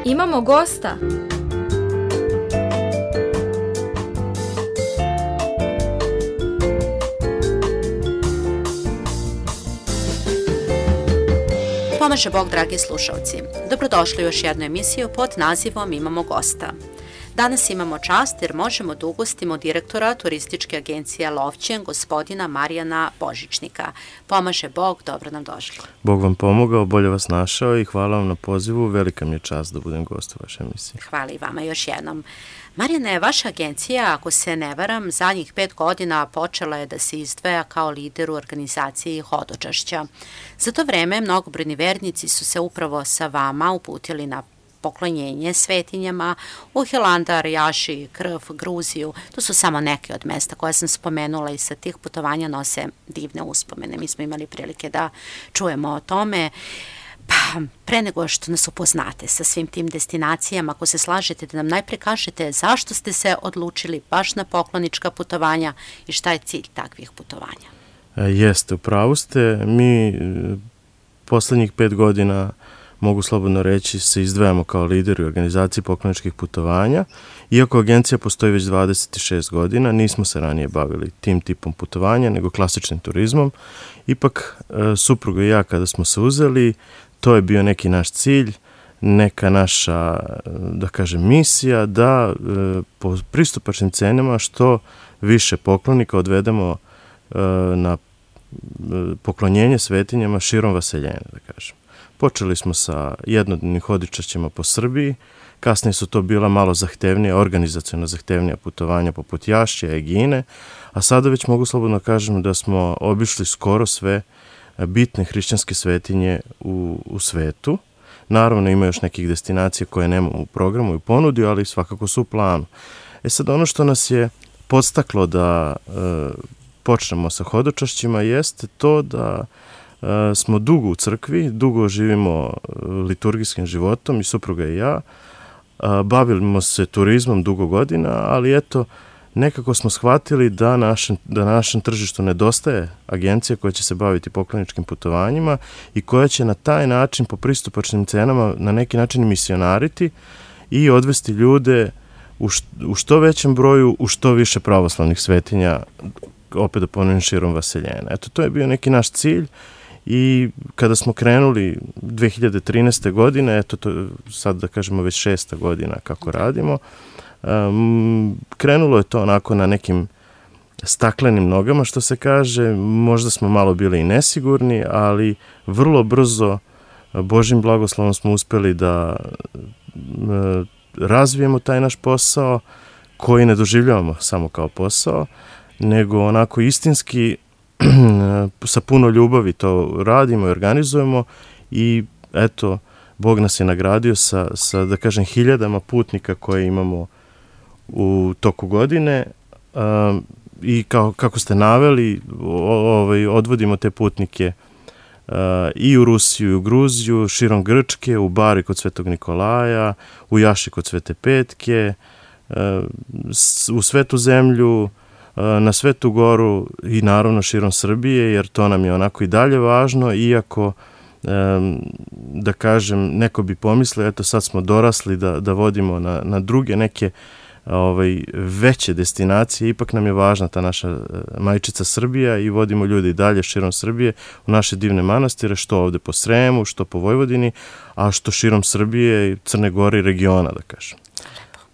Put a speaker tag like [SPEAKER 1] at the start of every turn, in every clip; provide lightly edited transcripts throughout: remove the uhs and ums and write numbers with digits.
[SPEAKER 1] Imamo gosta.
[SPEAKER 2] Pomaže Bog, dragi slušalci. Dobrodošli u još jednu emisiju pod nazivom Imamo gosta. Danas imamo čast jer možemo da ugostimo direktora turističke agencije Lovćen, gospodina Marijana Božičnika. Pomaže Bog, dobro nam došli.
[SPEAKER 3] Bog vam pomogao, bolje vas našao i hvala vam na pozivu. Velika mi je čast da budem gost u vašoj emisiji.
[SPEAKER 2] Hvala i vama još jednom. Marijane, vaša agencija, ako se ne varam, zadnjih 5 godina počela je da se izdvaja kao lider u organizaciji hodočašća. Za to vreme mnogobrojni vernici su se upravo sa vama uputili na poklonjenje svetinjama u Hilandar, Jaši, Krf, Gruziju. To su samo neke od mesta koje sam spomenula i sa tih putovanja nose divne uspomene. Mi smo imali prilike da čujemo o tome. Pa, pre nego što nas upoznate sa svim tim destinacijama, ako se slažete da nam najpre kažete zašto ste se odlučili baš na poklonička putovanja i šta je cilj takvih putovanja?
[SPEAKER 3] Jeste, upravo ste. Mi poslednjih 5 godina, mogu slobodno reći, se izdvajamo kao lideri u organizaciji pokloničkih putovanja. Iako agencija postoji već 26 godina, nismo se ranije bavili tim tipom putovanja, nego klasičnim turizmom. Ipak, supruga i ja kada smo se uzeli, to je bio neki naš cilj, neka naša, da kažem, misija da po pristupačnim cenama što više poklonika odvedemo na poklonjenje svetinjama širom vaseljene, da kažem. Počeli smo sa jednodnevnim hodočašćima po Srbiji, kasnije su to bila malo zahtevnija, organizaciono zahtevnija putovanja poput Jašća, Egine, a sada već mogu slobodno kažem da smo obišli skoro sve bitne hrišćanske svetinje u svetu. Naravno ima još nekih destinacija koje nemamo u programu i ponudi, ali svakako su u planu. Sad ono što nas je podstaklo da počnemo sa hodočašćima jeste to da smo dugo u crkvi, dugo živimo liturgijskim životom i supruga i ja. Bavimo se turizmom dugo godina, ali eto, nekako smo shvatili da na našem tržištu nedostaje agencija koja će se baviti pokloničkim putovanjima i koja će na taj način po pristupačnim cenama na neki način misionariti i odvesti ljude u što većem broju, u što više pravoslavnih svetinja, opet da ponovim, širom vaseljena. Eto, to je bio neki naš cilj. I kada smo krenuli 2013. godine, eto to sad da kažemo već 6. godina kako radimo, krenulo je to onako na nekim staklenim nogama, što se kaže, možda smo malo bili i nesigurni, ali vrlo brzo Božjim blagoslovom smo uspeli da razvijemo taj naš posao koji ne doživljavamo samo kao posao, nego onako istinski sa puno ljubavi to radimo i organizujemo i eto, Bog nas je nagradio sa da kažem, 1000 putnika koje imamo u toku godine i kako ste naveli, odvodimo te putnike i u Rusiju i u Gruziju, širom Grčke, u Bari kod Svetog Nikolaja, u Jaši kod Svete Petke, u Svetu zemlju, na Svetu Goru i naravno širom Srbije, jer to nam je onako i dalje važno, iako, da kažem, neko bi pomislio, eto sad smo dorasli da vodimo na druge neke veće destinacije, ipak nam je važna ta naša majčica Srbija i vodimo ljudi i dalje širom Srbije u naše divne manastire, što ovde po Sremu, što po Vojvodini, a što širom Srbije, Crne Gore i regiona, da kažem.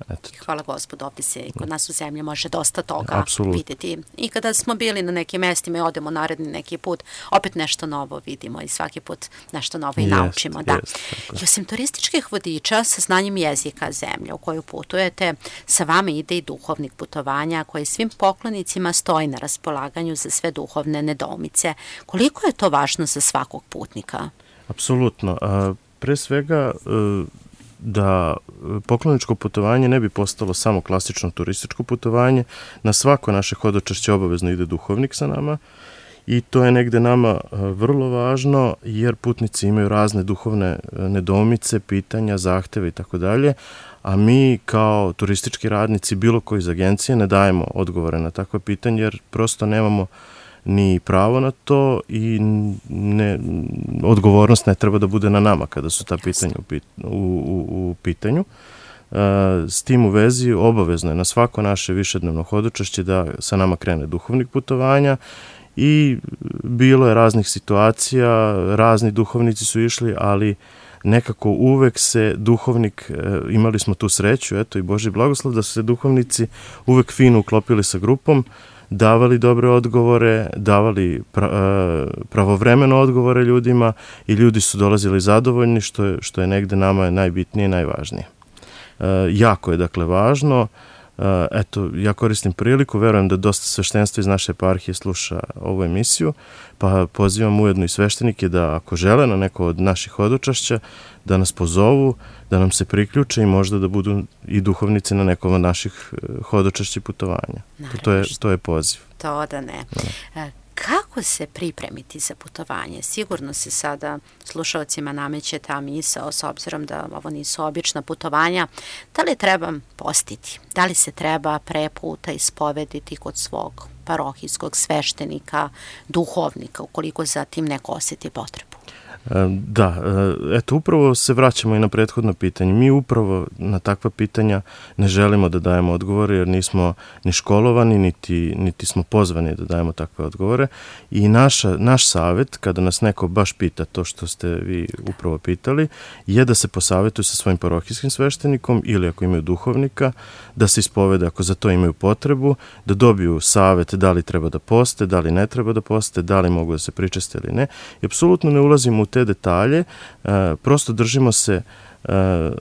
[SPEAKER 2] Eto. Hvala Gospodu, ovdje se i kod nas u zemlji može dosta toga vidjeti. I kada smo bili na nekim mestima i odemo naredni neki put, opet nešto novo vidimo i svaki put nešto novo i naučimo. I osim turističkih vodiča sa znanjem jezika zemlje u koju putujete, sa vama ide i duhovnik putovanja koji svim poklonicima stoji na raspolaganju za sve duhovne nedoumice. Koliko je to važno za svakog putnika?
[SPEAKER 3] Apsolutno. Pre svega, da pokloničko putovanje ne bi postalo samo klasično turističko putovanje, na svako naše hodočašće obavezno ide duhovnik sa nama i to je negde nama vrlo važno jer putnici imaju razne duhovne nedoumice, pitanja, zahteve i tako dalje, a mi kao turistički radnici bilo koji iz agencije ne dajemo odgovore na takve pitanje jer prosto nemamo ni pravo na to i odgovornost ne treba da bude na nama kada su ta pitanja u pitanju. S tim u vezi obavezno je na svako naše višednevno hodočašće da sa nama krene duhovnik putovanja i bilo je raznih situacija, razni duhovnici su išli, ali nekako uvek se duhovnik, imali smo tu sreću, eto i Božji blagoslov, da su se duhovnici uvek fino uklopili sa grupom, davali dobre odgovore, davali pravovremeno odgovore ljudima i ljudi su dolazili zadovoljni, što je negde nama najbitnije i najvažnije. Jako je dakle važno, eto ja koristim priliku, verujem da dosta sveštenstva iz naše eparhije sluša ovu emisiju, pa pozivam ujedno i sveštenike da ako žele na neko od naših hodočašća da nas pozovu, da nam se priključe i možda da budu i duhovnici na nekom od naših hodočašća putovanja. To je poziv.
[SPEAKER 2] To da ne. Kako se pripremiti za putovanje? Sigurno se sada slušalcima nameće ta misao, s obzirom da ovo nisu obična putovanja. Da li treba postiti? Da li se treba pre puta ispovediti kod svog parohijskog sveštenika, duhovnika, ukoliko za tim neko osjeti potrebu?
[SPEAKER 3] Da, eto upravo se vraćamo i na prethodno pitanje. Mi upravo na takva pitanja ne želimo da dajemo odgovore jer nismo ni školovani, niti smo pozvani da dajemo takve odgovore i naš savjet, kada nas neko baš pita to što ste vi upravo pitali, je da se posavetuju sa svojim parohijskim sveštenikom ili ako imaju duhovnika, da se ispovede ako za to imaju potrebu, da dobiju savjet da li treba da poste, da li ne treba da poste, da li mogu da se pričeste ili ne. I apsolutno ne ulazimo u te detalje, prosto držimo se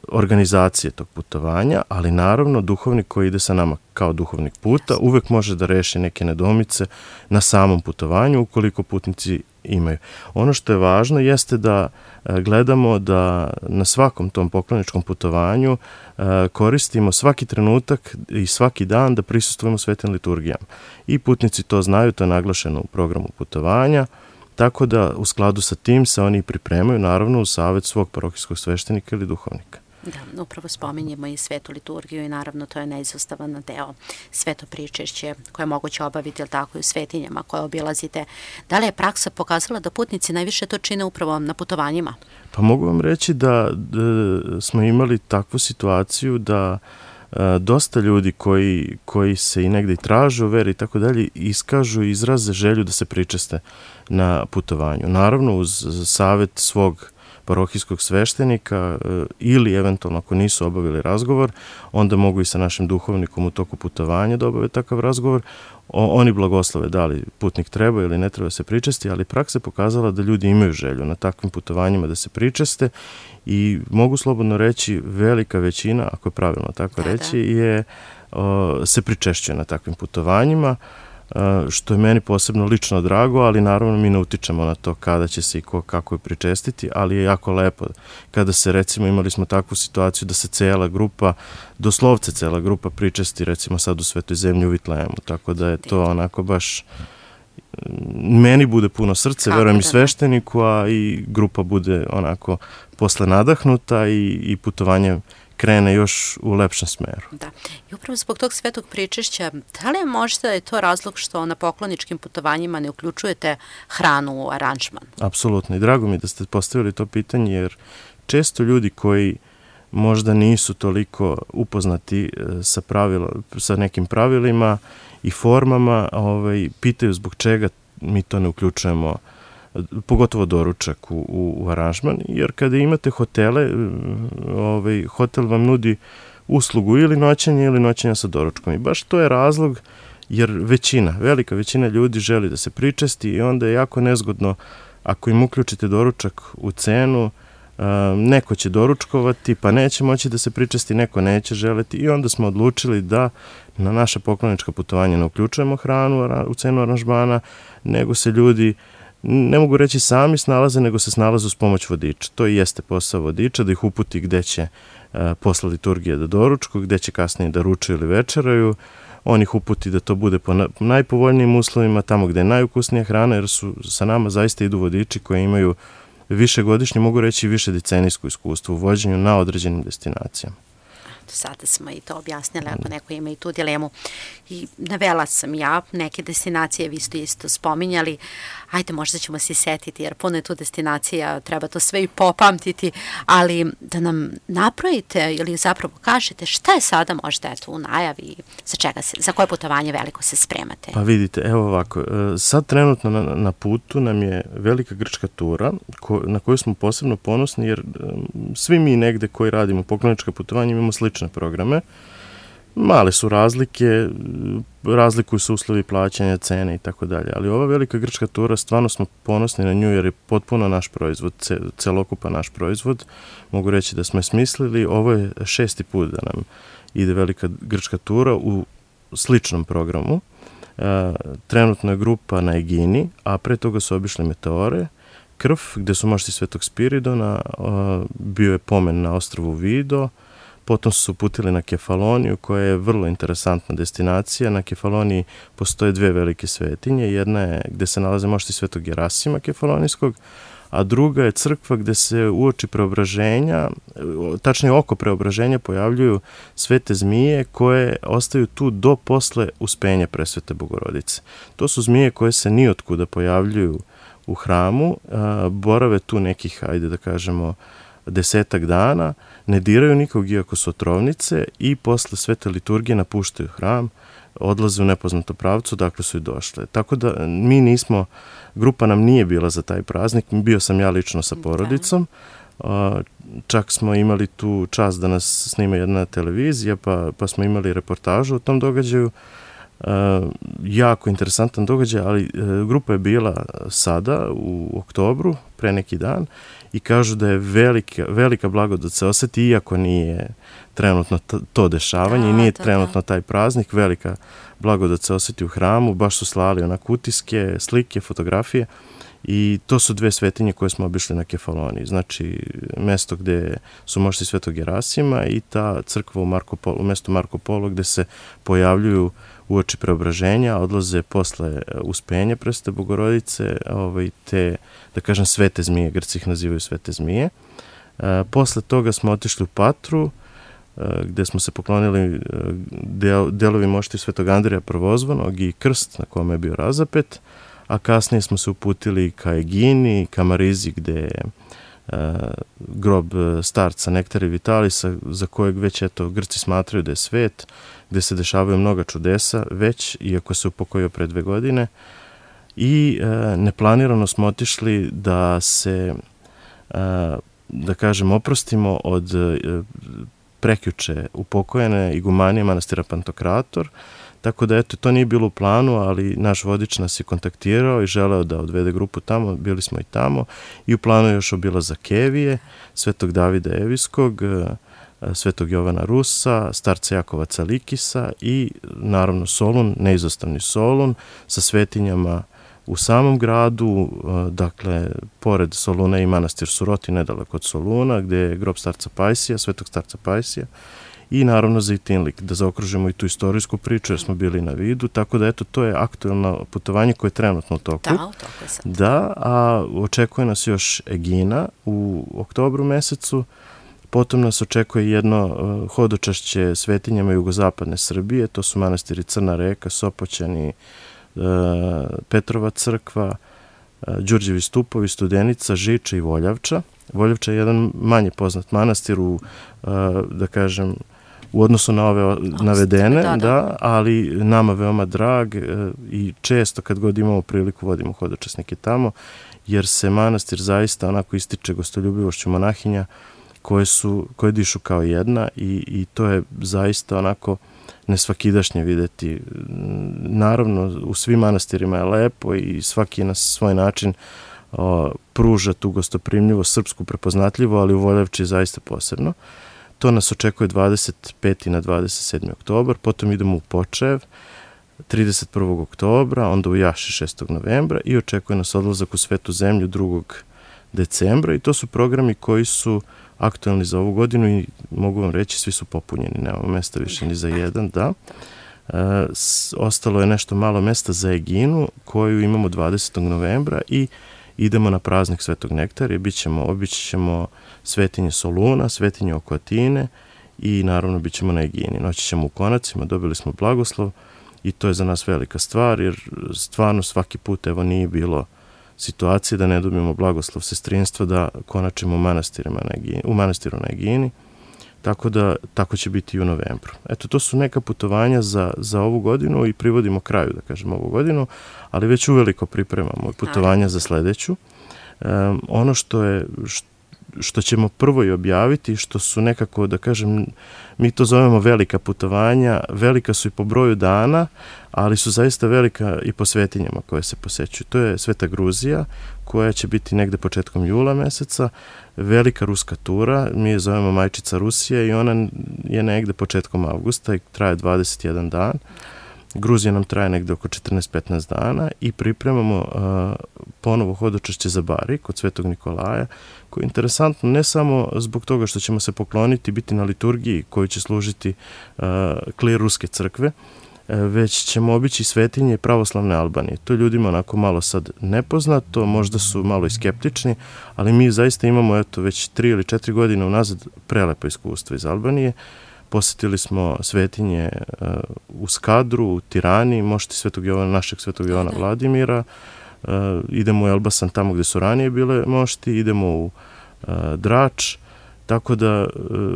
[SPEAKER 3] organizacije tog putovanja, ali naravno duhovnik koji ide sa nama kao duhovnik puta uvek može da reši neke nedoumice na samom putovanju ukoliko putnici imaju. Ono što je važno jeste da gledamo da na svakom tom pokloničkom putovanju koristimo svaki trenutak i svaki dan da prisustvujemo svetim liturgijama. I putnici to znaju, to je naglašeno u programu putovanja. Tako da u skladu sa tim se oni pripremaju naravno u savjet svog parohijskog sveštenika ili duhovnika.
[SPEAKER 2] Da, upravo spominjemo i svetu liturgiju i naravno to je neizostavan deo sveto pričešće koje je moguće obaviti, ali tako i u svetinjama koje obilazite. Da li je praksa pokazala da putnici najviše to čine upravo na putovanjima?
[SPEAKER 3] Pa mogu vam reći da smo imali takvu situaciju da dosta ljudi koji se i negde i traže u veri i tako dalje iskažu i izraze želju da se pričeste na putovanju. Naravno uz savjet svog parohijskog sveštenika ili eventualno ako nisu obavili razgovor, onda mogu i sa našim duhovnikom u toku putovanja da obave takav razgovor. Oni blagoslove da li putnik treba ili ne treba se pričesti, ali praksa je pokazala da ljudi imaju želju na takvim putovanjima da se pričeste i mogu slobodno reći velika većina, ako je pravilno tako reći, se pričešćuje na takvim putovanjima, što je meni posebno lično drago, ali naravno mi ne utičemo na to kada će se i kako je pričestiti, ali je jako lepo kada se recimo imali smo takvu situaciju da se cela grupa, doslovce cela grupa pričesti recimo sad u Svetoj zemlji u Vitlejemu, tako da je to onako baš meni bude puno srce, verujem i svešteniku, a i grupa bude onako posle nadahnuta i putovanje krene još u lepšem smeru.
[SPEAKER 2] Da. I upravo zbog tog svetog pričešća, da li je možda je to razlog što na pokloničkim putovanjima ne uključujete hranu u aranžman?
[SPEAKER 3] Apsolutno i drago mi da ste postavili to pitanje, jer često ljudi koji možda nisu toliko upoznati sa nekim pravilima i formama, pitaju zbog čega mi to ne uključujemo, pogotovo doručak u aranžman, jer kada imate hotele, hotel vam nudi uslugu ili noćenja sa doručkom i baš to je razlog jer velika većina ljudi želi da se pričesti i onda je jako nezgodno ako im uključite doručak u cenu, neko će doručkovati pa neće moći da se pričesti, neko neće želeti i onda smo odlučili da na naša poklonička putovanja ne uključujemo hranu u cenu aranžmana, nego se ljudi ne mogu reći sami snalaze, nego se snalaze uz pomoć vodiča. To i jeste posao vodiča, da ih uputi gde će posle liturgije da doručku, gde će kasnije da ručaju ili večeraju. On ih uputi da to bude po najpovoljnijim uslovima, tamo gde je najukusnija hrana, jer sa nama zaista idu vodiči koji imaju višegodišnje, mogu reći više decenijsko iskustvo u vođenju na određenim destinacijama.
[SPEAKER 2] sada smo i to objasnili ako neko ima i tu dilemu. I navela sam ja neke destinacije, vi ste isto spominjali, ajde možda ćemo se setiti jer puno je tu destinacija, treba to sve i popamtiti, ali da nam napravite ili zapravo kažete šta je sada možda eto u najavi, za koje putovanje veliko se spremate?
[SPEAKER 3] Pa vidite, evo ovako, sad trenutno na putu nam je velika grčka tura na koju smo posebno ponosni jer svi mi negde koji radimo poklonička putovanja imamo slične programe. Male su razlike, razlikuju se uslovi plaćanja, cene i tako dalje, ali ova velika grčka tura, stvarno smo ponosni na nju jer je potpuno naš proizvod, celokupan naš proizvod. Mogu reći da smo je smislili, ovo je 6. put da nam ide velika grčka tura u sličnom programu. Trenutno je grupa na Egini, a pre toga su obišli Meteore, Krf, gde su mošti Svetog Spiridona, bio je pomen na ostrvu Vido, potom su se uputili na Kefaloniju, koja je vrlo interesantna destinacija. Na Kefaloniji postoje 2 velike svetinje, jedna je gde se nalaze mošti Svetog Gerasima Kefalonijskog, a druga je crkva gde se uoči preobraženja, tačnije oko preobraženja, pojavljuju svete zmije koje ostaju tu do posle uspenja Presvete Bogorodice. To su zmije koje se nijotkuda pojavljuju u hramu, borave tu nekih, ajde da kažemo, 10 dana, ne diraju nikog iako su otrovnice i posle svete liturgije napuštaju hram, odlaze u nepoznato pravcu, dakle su i došle. Tako da mi nismo, grupa nam nije bila za taj praznik, bio sam ja lično sa porodicom, čak smo imali tu čast da nas snima jedna televizija, pa smo imali reportažu o tom događaju, jako interesantan događaj, ali grupa je bila sada u oktobru, pre neki dan, i kažu da je velika blagodat se oseti, iako nije trenutno to dešavanje i nije trenutno taj praznik, velika blagodat se oseti u hramu, baš su slali onako utiske, slike, fotografije i to su 2 svetinje koje smo obišli na Kefaloniji, znači mesto gde su mošti Svetog Gerasima i ta crkva u mestu Marko Polo gde se pojavljuju uoči preobraženja, odlaze posle uspenja Presvete Bogorodice, te, da kažem, svete zmije, Grci ih nazivaju svete zmije. Posle toga smo otišli u Patru, gde smo se poklonili delovi mošti Svetog Andreja Prvozvanog i krst na kome je bio razapet, a kasnije smo se uputili ka Egini, ka Marizi, gde je grob starca Nektara Vitalisa, za kojeg već Grci smatraju da je svet, gde se dešavaju mnoga čudesa već, iako se upokojio pre 2 godine. I neplanirano smo otišli da se, da kažem, oprostimo od prekjuče upokojene igumanije manastira Pantokrator, tako da to nije bilo u planu, ali naš vodič nas je kontaktirao i želeo da odvede grupu tamo, bili smo i tamo i u planu je još obilazak Kevije, Svetog Davida Evijskog, Svetog Jovana Rusa, starca Jakova Calikisa i naravno Solun, neizostavni Solun sa svetinjama u samom gradu, dakle, pored Soluna i manastir Suroti, nedaleko od Soluna, gde je grob starca Pajsija, Svetog starca Pajsija, i naravno Zejtinlik, da zaokružimo i tu istorijsku priču jer smo bili na Vidu, tako da to je aktuelno putovanje koje je trenutno u toku.
[SPEAKER 2] Da, u toku je sad.
[SPEAKER 3] Da, a očekuje nas još Egina u oktobru mesecu, potom nas očekuje jedno hodočašće svetinjama jugozapadne Srbije, to su manastiri Crna Reka, Sopoćani, Petrova crkva, Đurđevi stupovi, Studenica, Žiča i Voljavča. Voljavča je jedan manje poznat manastir da kažem, u odnosu na ove navedene, da, ali nama veoma drag i često kad god imamo priliku vodimo hodočasnike tamo, jer se manastir zaista onako ističe gostoljubivošću monahinja koje dišu kao jedna i to je zaista onako nesvakidašnje videti. Naravno, u svim manastirima je lepo i svaki na svoj način pruža tu gostoprimljivo, srpsku prepoznatljivo, ali u Voljavči je zaista posebno. To nas očekuje 25. na 27. oktobar, potom idemo u Počev 31. oktobra, onda u Jaši 6. novembra i očekuje nas odlazak u Svetu zemlju 2. decembra i to su programi koji su aktualni za ovu godinu i mogu vam reći, svi su popunjeni, nemamo mesta više ni za jedan, da. Ostalo je nešto malo mesta za Eginu, koju imamo 20. novembra i idemo na praznik Svetog Nektara i obići ćemo svetinje Soluna, svetinje oko Atine i naravno bit ćemo na Egini. Noći ćemo u Konacima, dobili smo blagoslov i to je za nas velika stvar, jer stvarno svaki put evo nije bilo situacije da ne dobijemo blagoslov sestrinstva da konačimo u manastiru na Egini, tako će biti i u novembru. Eto, to su neka putovanja za ovu godinu i privodimo kraju, da kažem, ovu godinu, ali već uveliko pripremamo putovanja za sledeću. Ono što ćemo prvo i objaviti, što su nekako, da kažem, mi to zovemo velika putovanja, velika su i po broju dana, ali su zaista velika i po svetinjama koje se posećuju. To je Sveta Gruzija, koja će biti negde početkom jula meseca, velika ruska tura, mi je zovemo Majčica Rusija i ona je negde početkom avgusta i traje 21 dan. Gruzija nam traje negde oko 14-15 dana i pripremamo ponovo hodočašće za Bari kod Svetog Nikolaja, koje je interesantno ne samo zbog toga što ćemo se pokloniti, biti na liturgiji koju će služiti klir Ruske crkve, već ćemo obići svetinje pravoslavne Albanije. To je ljudima onako malo sad nepoznato, možda su malo i skeptični, ali mi zaista imamo već 3 ili 4 godine unazad prelepo iskustvo iz Albanije. Posetili smo svetinje u Skadru, u Tirani, našeg Svetog Jovana Vladimira, idemo u Elbasan tamo gde su ranije bile mošti, idemo u Drač, tako da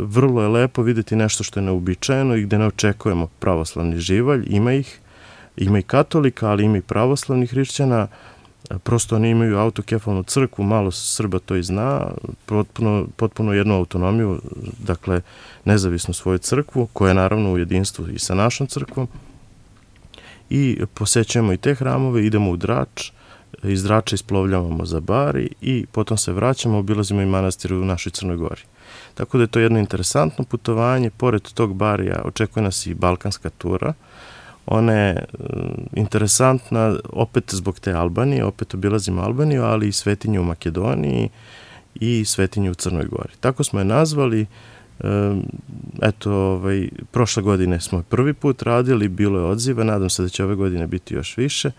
[SPEAKER 3] vrlo je lepo videti nešto što je neobičajeno i gde ne očekujemo pravoslavni živalj, ima i katolika, ali ima i pravoslavnih hrišćana, prosto oni imaju autokefalnu crkvu, malo Srba to i zna, potpuno jednu autonomiju, dakle nezavisnu svoju crkvu, koja je naravno u jedinstvu i sa našom crkvom, i posećujemo i te hramove, idemo u Drač, iz Drača isplovljavamo za Bari i potom se vraćamo, obilazimo i manastir u našoj Crnoj Gori. Tako da je to jedno interesantno putovanje, pored tog Barija očekuje nas i balkanska tura. Ona je interesantna opet zbog te Albanije, opet obilazimo Albaniju, ali i svetinju u Makedoniji i svetinju u Crnoj Gori. Tako smo je nazvali, prošle godine smo je prvi put radili, bilo je odziva, nadam se da će ove godine biti još više.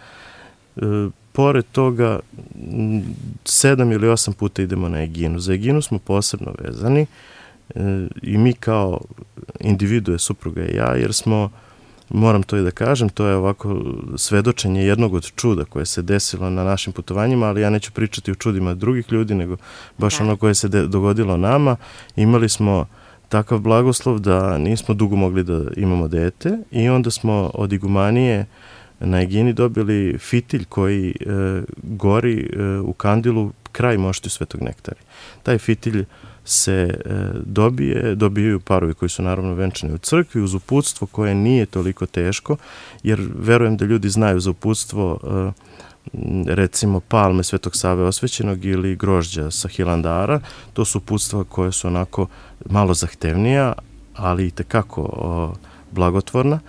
[SPEAKER 3] Pored toga, 7 ili 8 puta idemo na Eginu. Za Eginu smo posebno vezani i mi kao individue, supruga i ja, jer smo, moram to i da kažem, to je ovako svedočenje jednog od čuda koje se desilo na našim putovanjima, ali ja neću pričati o čudima drugih ljudi, nego baš ono koje se dogodilo nama. Imali smo takav blagoslov da nismo dugo mogli da imamo dete i onda smo od igumanije na Egini dobili fitilj koji gori u kandilu kraj moštiju Svetog Nektarija. Taj fitilj se dobijaju parovi koji su naravno venčani u crkvi uz uputstvo koje nije toliko teško, jer verujem da ljudi znaju za uputstvo recimo palme Svetog Save Osvećenog ili grožđa sa Hilandara. To su uputstva koje su onako malo zahtevnija, ali i tekako blagotvorna.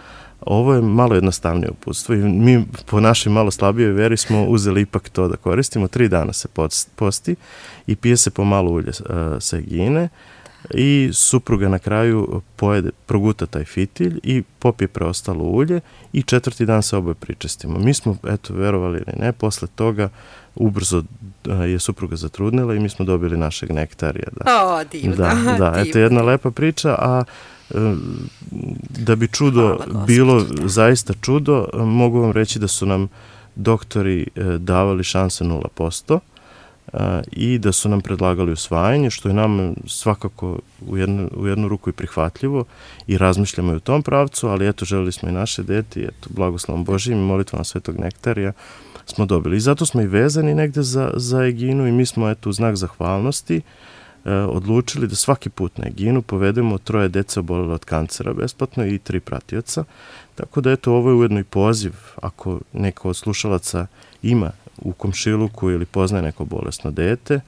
[SPEAKER 3] Ovo je malo jednostavnije uputstvo i mi po našoj malo slabijoj veri smo uzeli ipak to da koristimo. 3 dana se posti i pije se pomalo ulje sa Egine i supruga na kraju proguta taj fitilj i popije preostalo ulje i 4. dan se oboje pričestimo. Mi smo, verovali ili ne, posle toga ubrzo je supruga zatrudnila i mi smo dobili našeg nektarija.
[SPEAKER 2] Divno.
[SPEAKER 3] Da, eto jedna lepa priča, a da bi čudo bilo zaista čudo, mogu vam reći da su nam doktori davali šanse 0% i da su nam predlagali usvajanje, što je nam svakako u jednu ruku i prihvatljivo i razmišljamo i u tom pravcu, ali želeli smo i naše dete i blagoslovom Božijim i molitvom Svetog Nektarija smo dobili. I zato smo i vezani negde za Eginu i mi smo u znak zahvalnosti odlučili da svaki put na Eginu povedemo 3 dece obolele od kancera besplatno i 3 pratioca. Tako da ovo je ujedno i poziv, ako neko od slušalaca ima u komšiluku ili poznaje neko bolesno dete,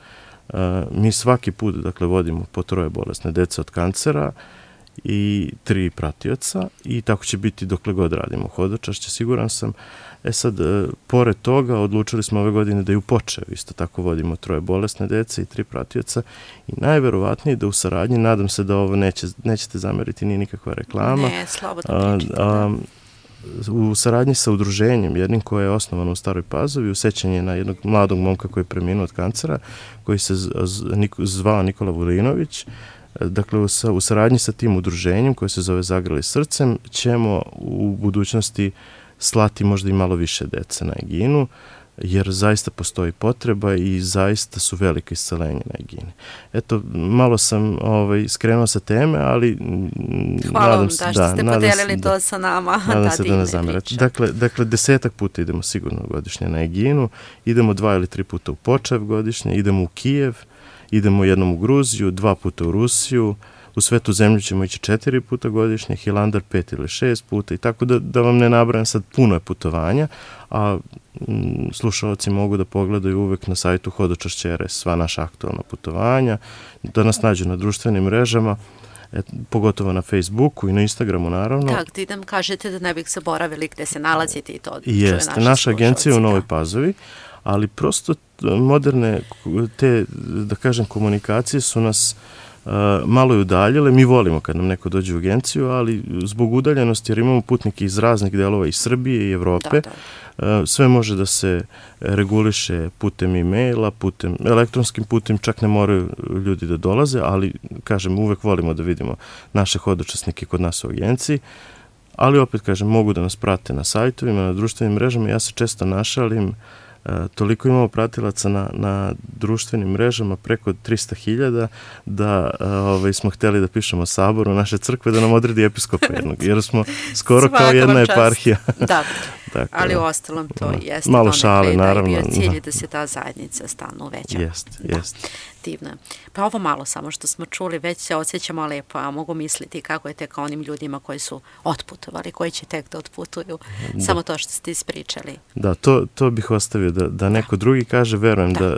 [SPEAKER 3] mi svaki put vodimo po 3 bolesne dece od kancera i 3 pratioca i tako će biti dokle god radimo hodočašće, siguran sam. Sad, pored toga, odlučili smo ove godine da i u Počevu isto tako vodimo 3 bolesne dece i 3 pratioca i najverovatnije da u saradnji, nadam se da ovo nećete zameriti, nije nikakva reklama.
[SPEAKER 2] Ne, slobodno pričam.
[SPEAKER 3] U saradnji sa udruženjem, jednim koje je osnovano u Staroj Pazovi, u sećanje na jednog mladog momka koji je preminuo od kancera, koji se zvao Nikola Vulinović, Dakle, u saradnji sa tim udruženjem koje se zove Zagrali srcem ćemo u budućnosti slati možda i malo više dece na Eginu, jer zaista postoji potreba i zaista su velike iscelenje na Egini. Eto, malo sam skrenuo sa teme, ali
[SPEAKER 2] hvala vam što ste podelili to sa nama.
[SPEAKER 3] Nadam se da ne zamerate. Dakle, 10 puta idemo sigurno godišnje na Eginu, idemo 2 ili 3 puta u Počev godišnje, idemo u Kijev, idemo jednom u Gruziju, 2 puta u Rusiju, u Svetu zemlju ćemo ići 4 puta godišnje, Hilandar 5 ili 6 puta i tako da vam ne nabrajam sad, puno je putovanja, a slušalci mogu da pogledaju uvek na sajtu Hodočašće.rs sva naša aktualna putovanja, da nas nađu na društvenim mrežama, pogotovo na Facebooku i na Instagramu naravno.
[SPEAKER 2] Tak, ti nam kažete da ne bih zaboravili gde se nalazite i to
[SPEAKER 3] jeste, naša agencija je u Novoj Pazovi, ali prosto moderne te, da kažem, komunikacije su nas malo je udaljile. Mi volimo kad nam neko dođe u agenciju, ali zbog udaljenosti, jer imamo putnike iz raznih delova, iz Srbije i Evrope, sve može da se reguliše putem e-maila, elektronskim putem, čak ne moraju ljudi da dolaze, ali, kažem, uvek volimo da vidimo naše hodočasnike kod nas u agenciji, ali opet, kažem, mogu da nas prate na sajtovima, na društvenim mrežama. Ja se često našalim, toliko imamo pratilaca na društvenim mrežama, preko 300.000, da smo hteli da pišemo saboru naše crkve da nam odredi episkopa jednog, jer smo skoro kao jedna eparhija.
[SPEAKER 2] Da, ali u ostalom to jeste.
[SPEAKER 3] Malo šale, naravno.
[SPEAKER 2] Da je bio cilj da se ta zajednica stalno uveća.
[SPEAKER 3] Jeste.
[SPEAKER 2] Divno. Pa ovo malo samo što smo čuli, već se osjećamo lepo, a mogu misliti kako je tek onim ljudima koji su otputovali, koji će tek da otputuju. Samo to što ste ispričali. Da,
[SPEAKER 3] to bih ostavio da neko drugi kaže. Verujem da,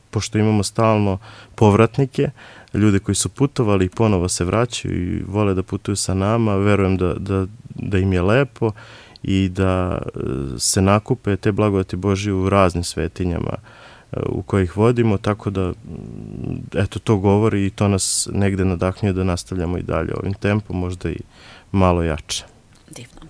[SPEAKER 3] pošto imamo stalno povratnike, ljude koji su putovali i ponovo se vraćaju i vole da putuju sa nama, verujem da im je lepo i da se nakupe te blagodati Božije u raznim svetinjama u kojih vodimo, tako da eto, to govori i to nas negde nadahnjuje da nastavljamo i dalje ovim tempom, možda i malo jače.
[SPEAKER 2] Divno.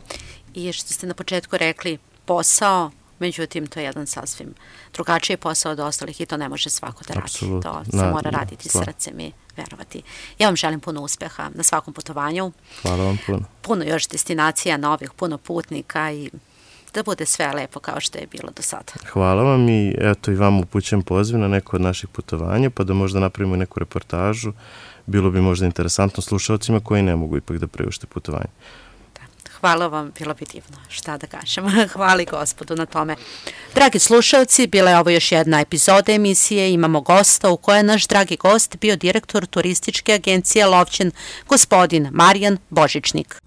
[SPEAKER 2] I što ste na početku rekli, posao, međutim, to je jedan sasvim drugačiji posao od ostalih i to ne može svako da radi. To se mora raditi srcem i verovati. Ja vam želim puno uspeha na svakom putovanju.
[SPEAKER 3] Hvala vam puno.
[SPEAKER 2] Puno još destinacija novih, puno putnika i da bude sve lepo kao što je bilo do sada.
[SPEAKER 3] Hvala vam i eto i vam upućujem poziv na neko od naših putovanja, pa da možda napravimo neku reportažu. Bilo bi možda interesantno slušalcima koji ne mogu ipak da priušte putovanje.
[SPEAKER 2] Hvala vam, bilo bi divno, šta da kažem. Hvala Gospodu na tome. Dragi slušalci, bila je ovo još jedna epizoda emisije. Imamo gosta u kojoj je naš dragi gost bio direktor turističke agencije Lovćen, gospodin Marijan Božičnik.